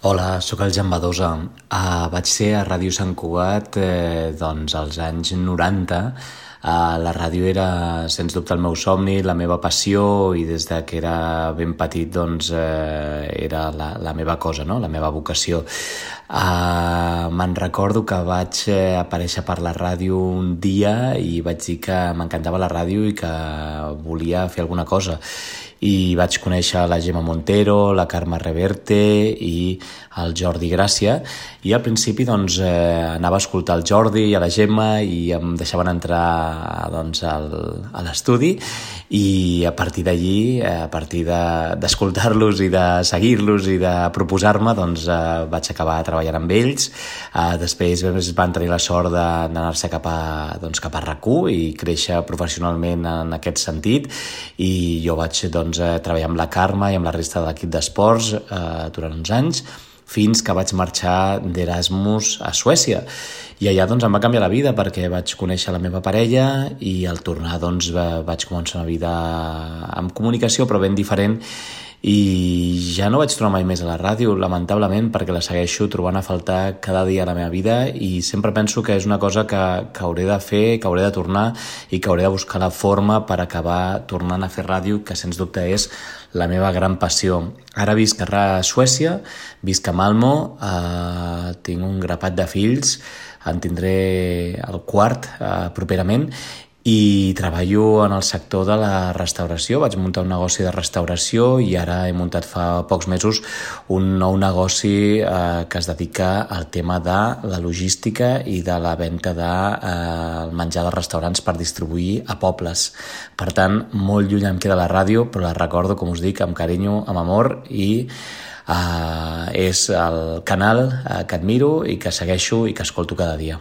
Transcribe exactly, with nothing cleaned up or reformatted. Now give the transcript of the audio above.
Hola, sóc el Jan Badosa. Uh, vaig ser a Ràdio Sant Cugat eh, doncs als anys noranta. Uh, la ràdio era, sens dubte, el meu somni, la meva passió, i des de que era ben petit doncs, eh, era la, la meva cosa, no? La meva vocació. Uh, me'n recordo que vaig eh, aparèixer per la ràdio un dia i vaig dir que m'encantava la ràdio i que volia fer alguna cosa. I vaig conèixer la Gemma Montero, la Carme Reverte i el Jordi Gràcia, i al principi doncs, eh, anava a escoltar el Jordi i a la Gemma i em deixaven entrar doncs, al, a l'estudi, i a partir d'allí, a partir de, d'escoltar-los i de seguir-los i de proposar-me, doncs, eh, vaig acabar treballant amb ells. Eh, després van tenir la sort d'anar-se cap a, doncs, cap a R A C U i créixer professionalment en aquest sentit, i jo vaig doncs, eh, treballar amb la Carme i amb la resta de l'equip d'esports eh, durant uns anys, fins que vaig marxar d'Erasmus a Suècia. I allà doncs, em va canviar la vida perquè vaig conèixer la meva parella i al tornar doncs, vaig començar una vida amb comunicació però ben diferent, i ja no vaig tornar mai més a la ràdio, lamentablement, perquè la segueixo trobant a faltar cada dia a la meva vida, i sempre penso que és una cosa que, que hauré de fer, que hauré de tornar i que hauré de buscar la forma per acabar tornant a fer ràdio, que sens dubte és la meva gran passió. Ara visc a Suècia, visc a Malmo, eh, tinc un grapat de fills, en tindré el quart eh, properament, i treballo en el sector de la restauració. Vaig muntar un negoci de restauració i ara he muntat fa pocs mesos un nou negoci eh, que es dedica al tema de la logística i de la venda de eh, menjar de restaurants per distribuir a pobles. Per tant, molt lluny em queda la ràdio, però la recordo, com us dic, amb carinyo, amb amor, i eh, és el canal eh, que admiro i que segueixo i que escolto cada dia.